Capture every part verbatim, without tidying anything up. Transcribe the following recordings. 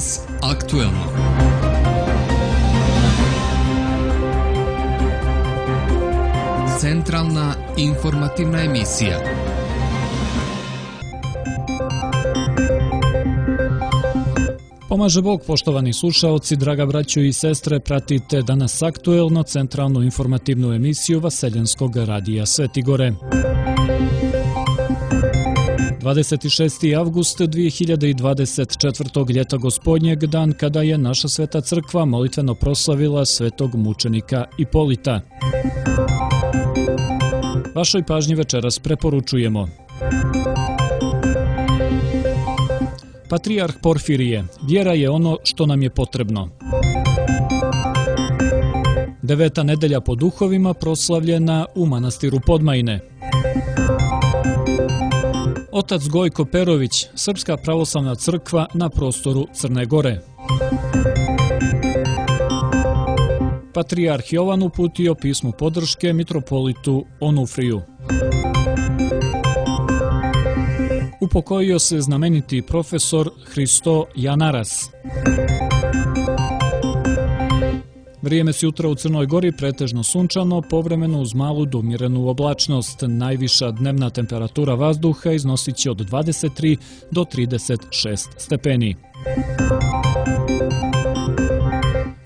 Danas aktuelno. Centralna informativna emisija. Pomaže Bog, poštovani slušaoci, draga braćo i sestre, pratite Danas aktuelno, centralnu informativnu emisiju Vaseljenskog radija Svetigore. dvadeset šesti avgust dvije hiljade dvadeset četvrtog. ljeta gospodnjeg, dan kada je naša sveta crkva molitveno proslavila svetog mučenika Ipolita. Vašoj pažnji večeras preporučujemo: Patrijarh Porfirije, vjera je ono što nam je potrebno. Deveta nedelja po duhovima proslavljena u manastiru Podmajine. Otac Gojko Perović, Srpska pravoslavna crkva na prostoru Crne Gore. Patrijarh Jovan uputio pismo podrške mitropolitu Onufriju. Upokojio se znameniti profesor Hristo Janaras. Vrijeme s jutra u Crnoj Gori pretežno sunčano, povremeno uz malu do umjerenu oblačnost. Najviša dnevna temperatura vazduha iznosit će od dvadeset tri do trideset šest stepeni.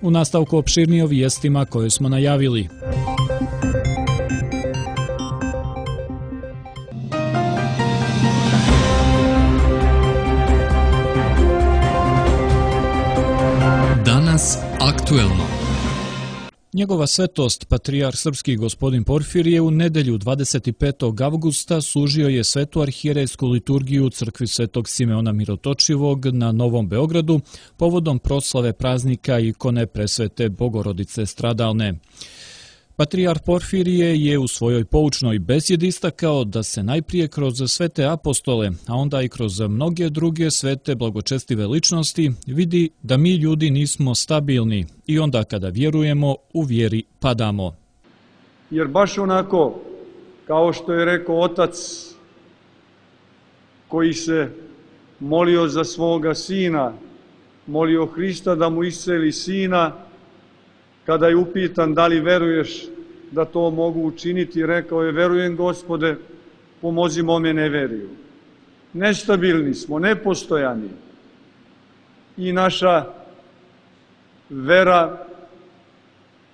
U nastavku opširnije o vijestima koje smo najavili. Danas aktuelno. Njegova svetost, patrijarh srpski gospodin Porfirije, u nedelju dvadeset petog avgusta služio je svetu arhijerejsku liturgiju u crkvi Svetog Simeona Mirotočivog na Novom Beogradu povodom proslave praznika ikone presvete Bogorodice stradalne. Patrijarh Porfirije je u svojoj poučnoj besjedi istakao da se najprije kroz svete apostole, a onda i kroz mnoge druge svete blagočestive ličnosti vidi da mi ljudi nismo stabilni i onda kada vjerujemo u vjeri padamo. Jer baš onako kao što je rekao otac koji se molio za svoga sina, molio Hrista da mu isceli sina, kada je upitan da li veruješ da to mogu učiniti, rekao je: verujem, Gospode, pomozi mome neveriju. Nestabilni smo, nepostojani i naša vera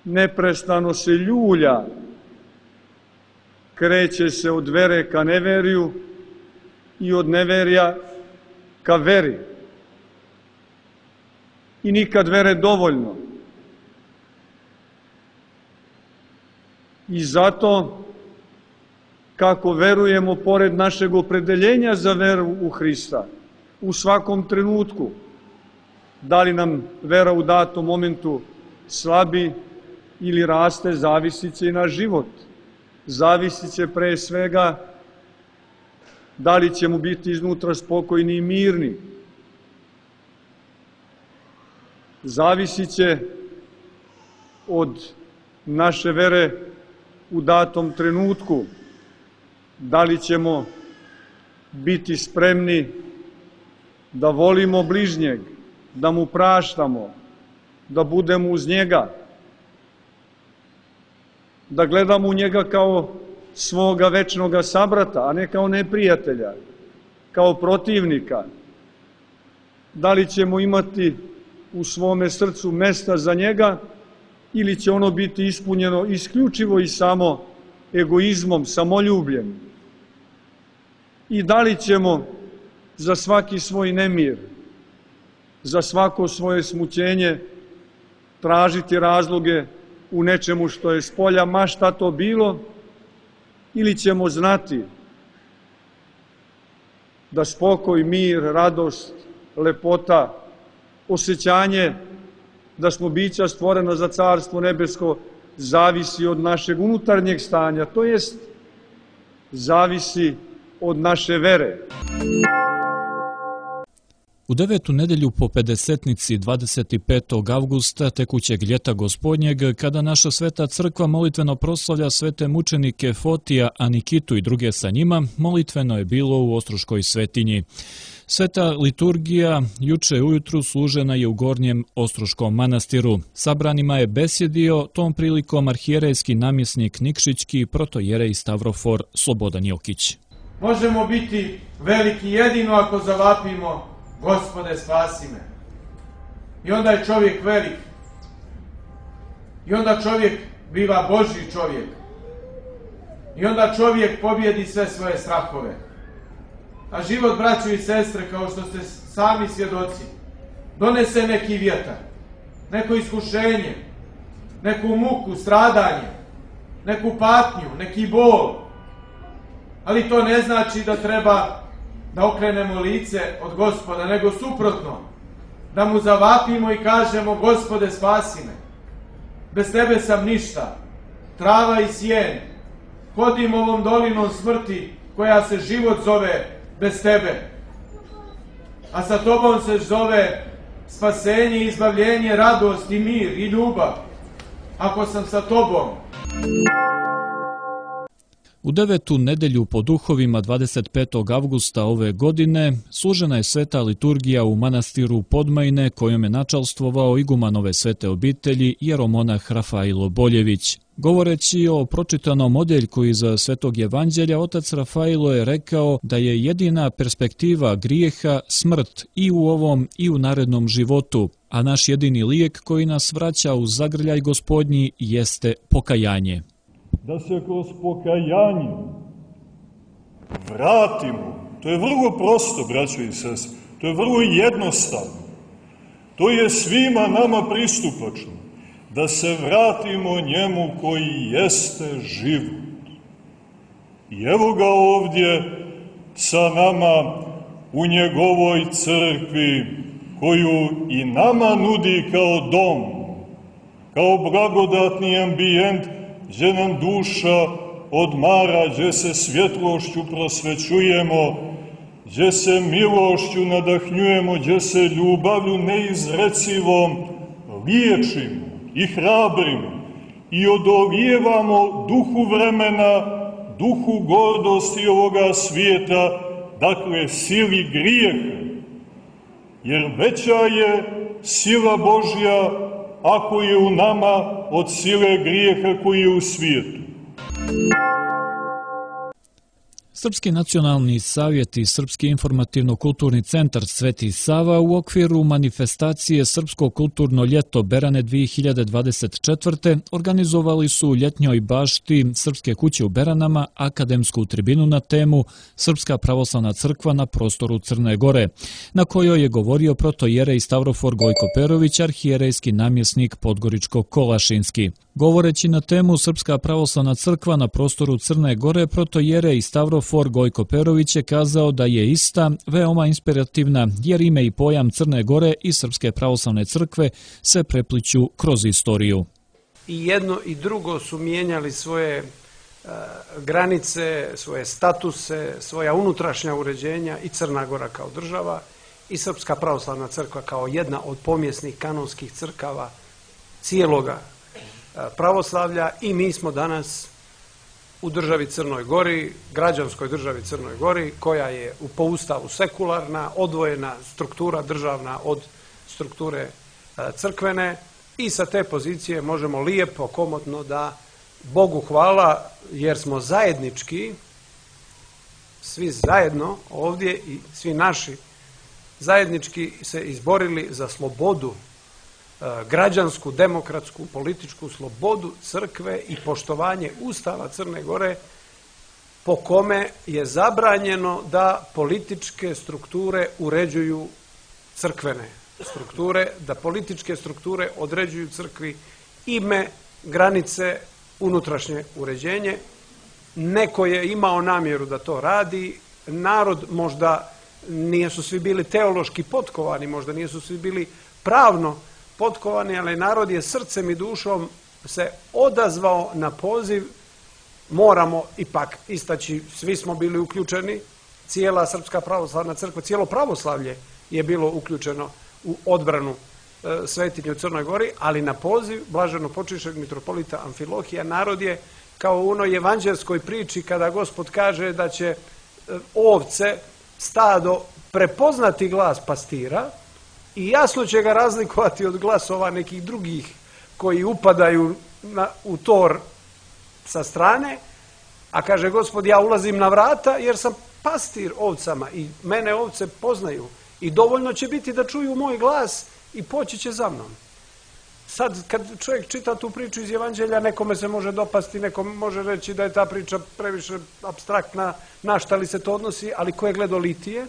neprestano se ljulja, kreće se od vere ka neveriju i od neverja ka veri. I nikad vere dovoljno. I zato, kako verujemo pored našeg opredeljenja za veru u Hrista, u svakom trenutku, da li nam vera u datom momentu slabi ili raste, zavisit će i naš život. Zavisit će pre svega da li ćemo biti iznutra spokojni i mirni. Zavisit će od naše vere u datom trenutku, da li ćemo biti spremni da volimo bližnjeg, da mu praštamo, da budemo uz njega, da gledamo u njega kao svoga večnoga sabrata, a ne kao neprijatelja, kao protivnika. Da li ćemo imati u svome srcu mesta za njega ili će ono biti ispunjeno isključivo i samo egoizmom, samoljubljem? I da li ćemo za svaki svoj nemir, za svako svoje smućenje tražiti razloge u nečemu što je spolja, ma šta to bilo, ili ćemo znati da spokoj, mir, radost, lepota, osjećanje da smo bića stvorena za Carstvo nebesko zavisi od našeg unutarnjeg stanja, to jest zavisi od naše vere. U U devetu nedelju po pedesetnici dvadeset petog avgusta tekućeg ljeta gospodnjeg, kada naša sveta crkva molitveno proslavlja svete mučenike Fotija, Anikitu i druge sa njima, molitveno je bilo u Ostroškoj svetinji. Sveta liturgija juče ujutru služena je u Gornjem Ostroškom manastiru. Sabranima je besjedio tom prilikom arhijerejski namjesnik Nikšićki protojerej Stavrofor Slobodan Jokić. Možemo biti veliki jedino ako zavapimo: Gospode, spasi me. I onda je čovjek velik. I onda čovjek biva Božji čovjek. I onda čovjek pobjedi sve svoje strahove. A život, braćo i sestre, kao što ste sami svjedoci, donese neki vjetar, neko iskušenje, neku muku, stradanje, neku patnju, neki bol. Ali to ne znači da treba da okrenemo lice od Gospoda, nego suprotno, da mu zavapimo i kažemo: Gospode, spasi me. Bez tebe sam ništa, trava i sjen. Hodim ovom dolinom smrti koja se život zove bez tebe. A sa tobom se zove spasenje, izbavljenje, radost i mir i ljubav. Ako sam sa tobom. U devetu nedelju po duhovima dvadeset petog avgusta ove godine služena je sveta liturgija u manastiru Podmajne, kojom je načalstvovao igumanove svete obitelji jeromonah Rafailo Boljević. Govoreći o pročitanom odjeljku iz Svetog evanđelja, otac Rafailo je rekao da je jedina perspektiva grijeha smrt i u ovom i u narednom životu, a naš jedini lijek koji nas vraća u zagrljaj gospodnji jeste pokajanje. Da se kroz pokajanje vratimo. To je vrlo prosto, braćo i sestre. To je vrlo jednostavno. To je svima nama pristupačno. Da se vratimo njemu koji jeste život. I evo ga ovdje sa nama u njegovoj crkvi, koju i nama nudi kao dom, kao blagodatni ambijent, gdje nam duša odmara, gdje se svjetlošću prosvećujemo, gdje se milošću nadahnjujemo, gdje se ljubavlju neizrecivom liječimo i hrabrimo i odovijevamo duhu vremena, duhu gordosti ovoga svijeta, dakle sili grijeha. Jer veća je sila Božja ako je u nama od sile grijeha koji je u svijetu. Srpski nacionalni savjet i Srpski informativno-kulturni centar Sveti Sava u okviru manifestacije Srpsko kulturno ljeto Berane dvije hiljade dvadeset četvrte. organizovali su u ljetnjoj bašti Srpske kuće u Beranama akademsku tribinu na temu Srpska pravoslavna crkva na prostoru Crne Gore, na kojoj je govorio protojerej Stavrofor Gojko Perović, arhijerejski namjesnik Podgoričko-Kolašinski. Govoreći na temu Srpska pravoslavna crkva na prostoru Crne Gore, protojerej Stavrofor Gojko Perović je kazao da je ista veoma inspirativna, jer ime i pojam Crne Gore i Srpske pravoslavne crkve se prepliću kroz istoriju. I jedno i drugo su mijenjali svoje e, granice, svoje statuse, svoja unutrašnja uređenja, i Crna Gora kao država i Srpska pravoslavna crkva kao jedna od pomjesnih kanonskih crkava cijeloga pravoslavlja. I mi smo danas u državi Crnoj Gori, građanskoj državi Crnoj Gori, koja je po ustavu sekularna, odvojena struktura državna od strukture crkvene, i sa te pozicije možemo lijepo, komotno da Bogu hvala, jer smo zajednički, svi zajedno ovdje i svi naši zajednički se izborili za slobodu, građansku, demokratsku, političku slobodu crkve i poštovanje Ustava Crne Gore, po kome je zabranjeno da političke strukture uređuju crkvene strukture, da političke strukture određuju crkvi ime, granice, unutrašnje uređenje. Neko je imao namjeru da to radi, narod možda nisu svi bili teološki potkovani, možda nisu svi bili pravno potkovani, ali narod je srcem i dušom se odazvao na poziv. Moramo ipak istaći, svi smo bili uključeni, cijela Srpska pravoslavna crkva, cijelo pravoslavlje je bilo uključeno u odbranu svetinje u Crnoj Gori, ali na poziv blaženo počišćenog mitropolita Amfilohija narod je kao u onoj evanđelskoj priči kada Gospod kaže da će ovce, stado prepoznati glas pastira i jasno će ga razlikovati od glasova nekih drugih koji upadaju na, u tor sa strane, a kaže Gospod, ja ulazim na vrata jer sam pastir ovcama i mene ovce poznaju i dovoljno će biti da čuju moj glas i poći će za mnom. Sad, kad čovjek čita tu priču iz Evanđelja, nekome se može dopasti, nekome može reći da je ta priča previše apstraktna, na šta li se to odnosi, ali ko je gledao litije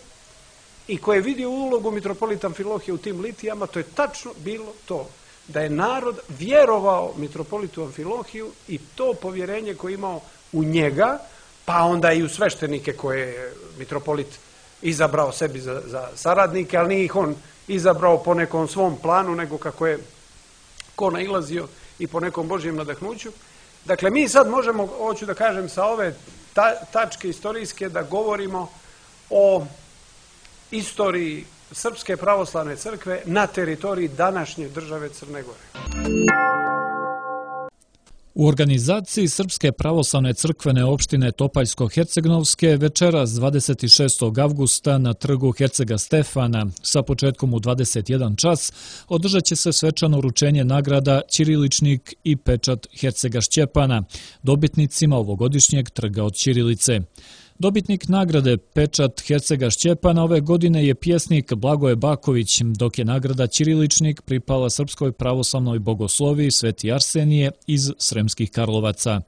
i ko je vidio ulogu mitropolita Amfilohija u tim litijama, to je tačno bilo to, da je narod vjerovao mitropolitu Amfilohiju i to povjerenje koje je imao u njega, pa onda i u sveštenike koje je mitropolit izabrao sebi za, za saradnike, ali nije ih on izabrao po nekom svom planu, nego kako je ko nailazio i po nekom Božjem nadahnuću. Dakle, mi sad možemo, hoću da kažem, sa ove ta, tačke istorijske da govorimo o istoriji Srpske pravoslavne crkve na teritoriji današnje države Crne Gore. U organizaciji Srpske pravoslavne crkvene opštine Topaljsko-Hercegnovske večeras dvadeset šestog avgusta na trgu Hercega Stefana sa početkom u dvadeset jedan čas održat će se svečano uručenje nagrada Ćiriličnik i pečat Hercega Šćepana, dobitnicima ovogodišnjeg trga od ćirilice. Dobitnik nagrade pečat Hercega Šćepana ove godine je pjesnik Blagoje Baković, dok je nagrada Ćiriličnik pripala Srpskoj pravoslavnoj bogosloviji Sveti Arsenije iz Sremskih Karlovaca.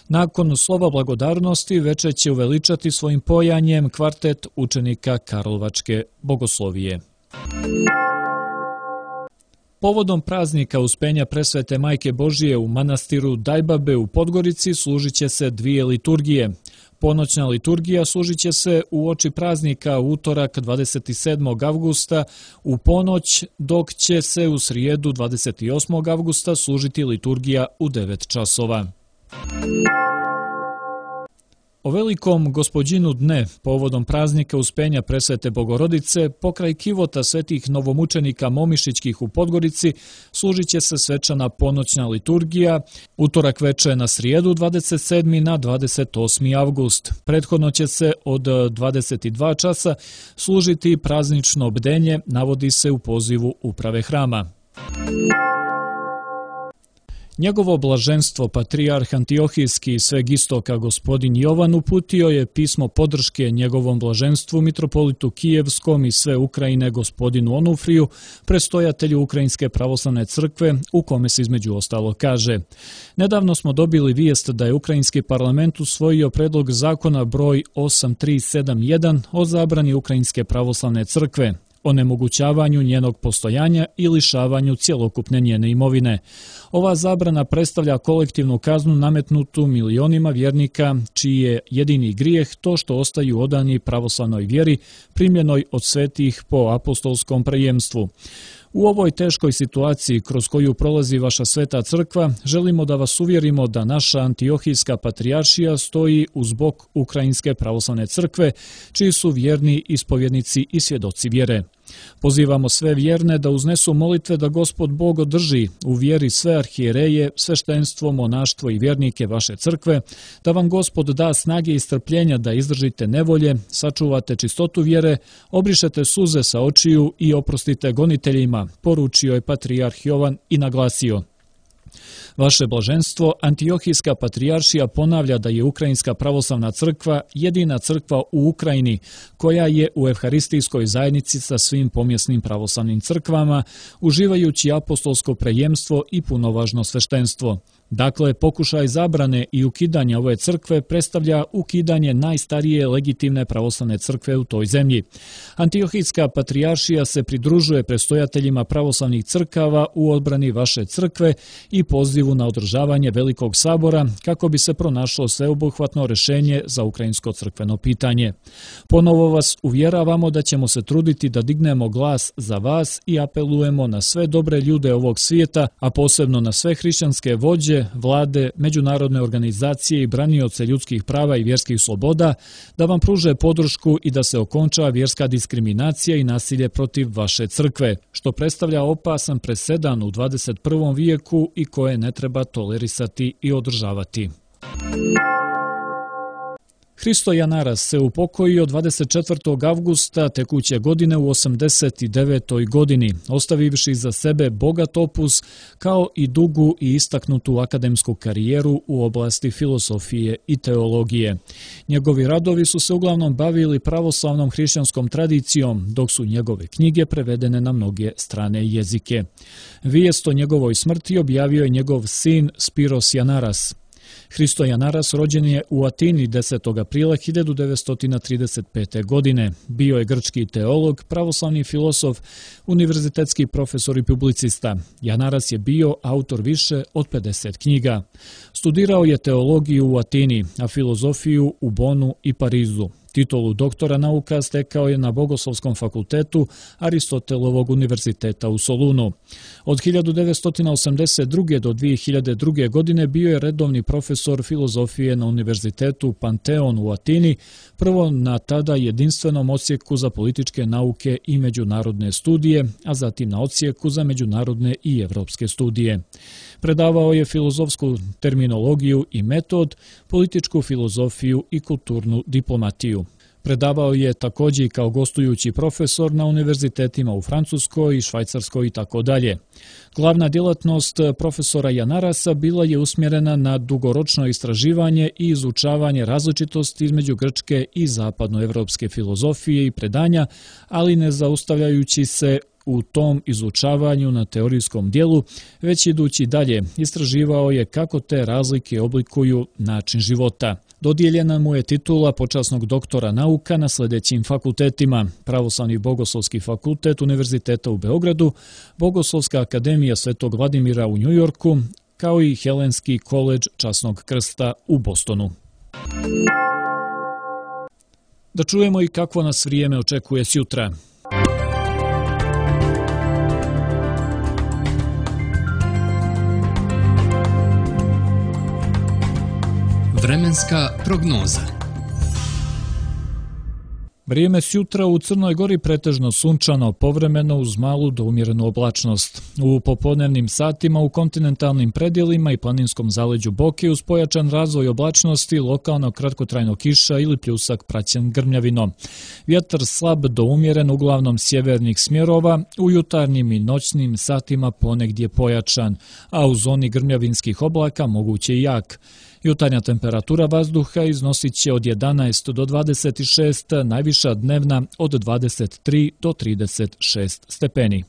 Nakon slova blagodarnosti večer će uveličati svojim pojanjem kvartet učenika Karlovačke bogoslovije. Povodom praznika Uspenja Presvete Majke Božije u manastiru Dajbabe u Podgorici služit će se dvije liturgije. Ponoćna liturgija služit će se u oči praznika u utorak dvadeset sedmog avgusta u ponoć, dok će se u srijedu dvadeset osmog avgusta služiti liturgija u devet časova. O velikom Gospodinu dne, povodom praznika Uspenja Presvete Bogorodice, pokraj kivota svetih novomučenika Momišićkih u Podgorici, služit će se svečana ponoćna liturgija, utorak veče na srijedu dvadeset sedmi na dvadeset osmi avgust. Prethodno će se od dvadeset dva časa služiti praznično bdenje, navodi se u pozivu uprave hrama. Njegovo blaženstvo, patrijarh Antiohijski i sveg istoka gospodin Jovan uputio je pismo podrške njegovom blaženstvu mitropolitu Kijevskom i sve Ukrajine gospodinu Onufriju, prestojatelju Ukrajinske pravoslavne crkve, u kome se između ostalo kaže: nedavno smo dobili vijest da je Ukrajinski parlament usvojio predlog zakona broj osam tri sedam jedan o zabrani Ukrajinske pravoslavne crkve, onemogućavanju njenog postojanja i lišavanju cjelokupne njene imovine. Ova zabrana predstavlja kolektivnu kaznu nametnutu milionima vjernika, čiji je jedini grijeh to što ostaju odani pravoslavnoj vjeri, primljenoj od svetih po apostolskom prejemstvu. U ovoj teškoj situaciji kroz koju prolazi vaša sveta crkva, želimo da vas uvjerimo da naša Antiohijska patrijaršija stoji uz bok Ukrajinske pravoslavne crkve, čiji su vjerni ispovjednici i svjedoci vjere. Pozivamo sve vjerne da uznesu molitve da Gospod Bog održi u vjeri sve arhijereje, sveštenstvo, monaštvo i vjernike vaše crkve, da vam Gospod da snage i strpljenja da izdržite nevolje, sačuvate čistotu vjere, obrišete suze sa očiju i oprostite goniteljima, poručio je patrijarh Jovan i naglasio: vaše blaženstvo, Antiohijska patrijaršija ponavlja da je Ukrajinska pravoslavna crkva jedina crkva u Ukrajini koja je u evharistijskoj zajednici sa svim pomjesnim pravoslavnim crkvama, uživajući apostolsko prejemstvo i punovažno sveštenstvo. Dakle, pokušaj zabrane i ukidanja ove crkve predstavlja ukidanje najstarije legitimne pravoslavne crkve u toj zemlji. Antiohijska patrijaršija se pridružuje prestojateljima pravoslavnih crkava u odbrani vaše crkve i pozivu na održavanje Velikog sabora kako bi se pronašlo sveobuhvatno rješenje za ukrajinsko crkveno pitanje. Ponovo vas uvjeravamo da ćemo se truditi da dignemo glas za vas i apelujemo na sve dobre ljude ovog svijeta, a posebno na sve hrišćanske vođe kuće, vlade, međunarodne organizacije i branioce ljudskih prava i vjerskih sloboda da vam pruže podršku i da se okonča vjerska diskriminacija i nasilje protiv vaše crkve, što predstavlja opasan presedan u dvadeset prvom vijeku i koje ne treba tolerisati i održavati. Hristo Janaras se upokojio dvadeset četvrtog avgusta tekuće godine u osamdeset devetoj godini, ostavivši za sebe bogat opus kao i dugu i istaknutu akademsku karijeru u oblasti filosofije i teologije. Njegovi radovi su se uglavnom bavili pravoslavnom hrišćanskom tradicijom, dok su njegove knjige prevedene na mnoge strane jezike. Vijest o njegovoj smrti objavio je njegov sin Spiros Janaras. Hristo Janaras rođen je u Atini desetog aprila hiljadu devetsto trideset pete. godine. Bio je grčki teolog, pravoslavni filosof, univerzitetski profesor i publicista. Janaras je bio autor više od pedeset knjiga. Studirao je teologiju u Atini, a filozofiju u Bonu i Parizu. Titulu doktora nauka stekao je na Bogoslovskom fakultetu Aristotelovog univerziteta u Solunu. Od hiljadu devetsto osamdeset druge. do dvije hiljade druge. godine bio je redovni profesor filozofije na Univerzitetu Panteon u Atini, prvo na tada jedinstvenom odsjeku za političke nauke i međunarodne studije, a zatim na odsjeku za međunarodne i evropske studije. Predavao je filozofsku terminologiju i metod, političku filozofiju i kulturnu diplomatiju. Predavao je također i kao gostujući profesor na univerzitetima u Francuskoj i Švajcarskoj i tako dalje. Glavna djelatnost profesora Janarasa bila je usmjerena na dugoročno istraživanje i izučavanje različitosti između grčke i zapadnoevropske filozofije i predanja, ali ne zaustavljajući se u tom izučavanju na teorijskom dijelu, već idući dalje, istraživao je kako te razlike oblikuju način života. Dodijeljena mu je titula počasnog doktora nauka na sljedećim fakultetima: Pravoslavni bogoslovski fakultet Univerziteta u Beogradu, Bogoslovska akademija Svetog Vladimira u Njujorku, kao i Helenski koledž Časnog krsta u Bostonu. Da čujemo i kakvo nas vrijeme očekuje sjutra. Vremenska prognoza. Vrijeme sjutra u Crnoj Gori pretežno sunčano, povremeno uz malu do umjerenu oblačnost. U popodnevnim satima u kontinentalnim predjelima i planinskom zaleđu Boke uz pojačan razvoj oblačnosti, lokalno kratkotrajno kiša ili pljusak praćen grmljavinom. Vjetar slab do umjeren, uglavnom sjevernih smjerova, u jutarnjim i noćnim satima ponegdje pojačan, a u zoni grmljavinskih oblaka moguće i jak. Jutarnja temperatura vazduha iznosit će od jedanaest do dvadeset šest, najviša dnevna od dvadeset tri do trideset šest stepeni.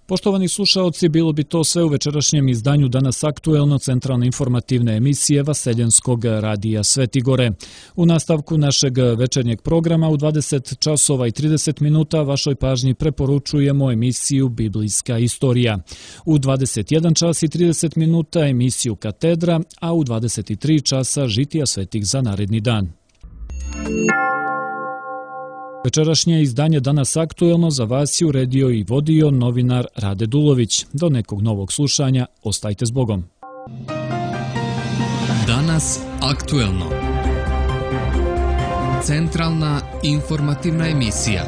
Poštovani slušaoci, bilo bi to sve u večerašnjem izdanju Danas aktuelno centralne informativne emisije Vaseljenskog radija Svetigore. U nastavku našeg večernjeg programa u dvadeset časova i trideset minuta vašoj pažnji preporučujemo emisiju Biblijska istorija. U dvadeset jedan čas i trideset minuta emisiju Katedra, a u dvadeset tri časa Žitija svetih za naredni dan. Večerašnje izdanje Danas aktuelno za vas je uredio i vodio novinar Rade Dulović. Do nekog novog slušanja, ostajte s Bogom. Danas aktuelno. Centralna informativna emisija.